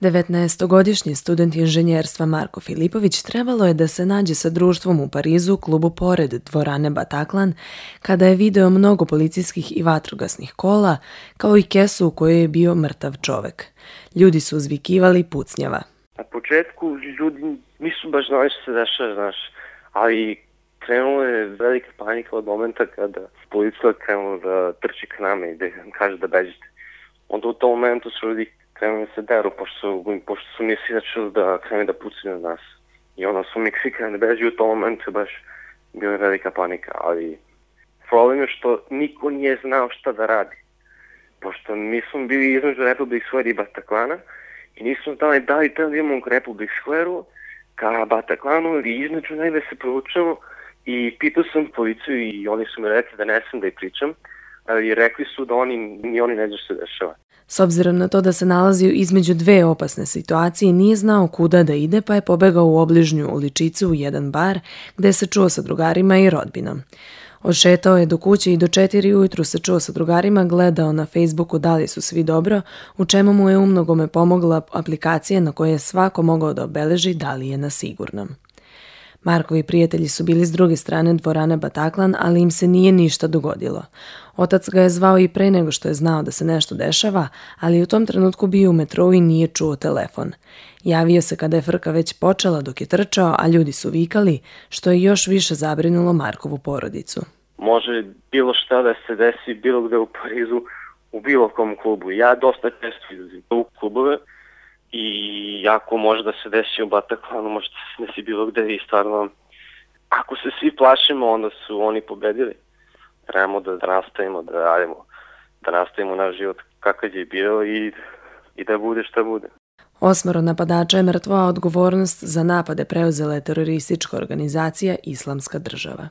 19-godišnji student inženjerstva Marko Filipović trebalo je da se nađe sa društvom u Parizu u klubu pored dvorane Bataclan kada je video mnogo policijskih i vatrogasnih kola, kao i kesu u kojoj je bio mrtav čovek. Ljudi su uzvikivali pucnjava. Na početku ljudi nisu baš znali što se dešava, znaš, ali krenula je velika panika od momenta kada policija krenula da trči k nama i da kaže da bežite. Onda u tom momentu su ljudi krenuli da se deru, pošto su mislili da krenu da pucaju na nas. I onda su mi svi krenuli da beži, u tom momentu baš bila velika panika, ali problem je što niko nije znao šta da radi. Pošto mi smo bili između Republic Square i Bataclana i nismo znali da li treba da imamo u Republic Square-u ka Bataclanu ili između najve se provučemo i pitao sam policiju i oni su mi rekli da ne sam da ih pričam, ali rekli su da oni ne znaju što se dešava. S obzirom na to da se nalazio između dve opasne situacije, nije znao kuda da ide pa je pobegao u obližnju uličicu u jedan bar gde se čuo sa drugarima i rodbinom. Odšetao je do kuće i do 4 ujutru se čuo sa drugarima, gledao na Facebooku da li su svi dobro, u čemu mu je umnogome pomogla aplikacija na kojoj je svako mogao da obeleži da li je na sigurnom. Markovi prijatelji su bili s druge strane dvorane Bataclan, ali im se nije ništa dogodilo. Otac ga je zvao i pre nego što je znao da se nešto dešava, ali u tom trenutku bio u metrou i nije čuo telefon. Javio se kada je frka već počela dok je trčao, a ljudi su vikali, što je još više zabrinulo Markovu porodicu. Može bilo šta da se desi bilo gde u Parizu, u bilo kom klubu. Ja dosta često izlazim u klubove i ako može da se desi u Bataclanu, može da se desi bilo gde i stvarno, ako se svi plašimo, onda su oni pobedili. Trebamo da nastavimo, da radimo, da nastavimo naš život kakav je bio i da bude šta bude. 8 napadača je mrtvo, a odgovornost za napade preuzela je teroristička organizacija Islamska država.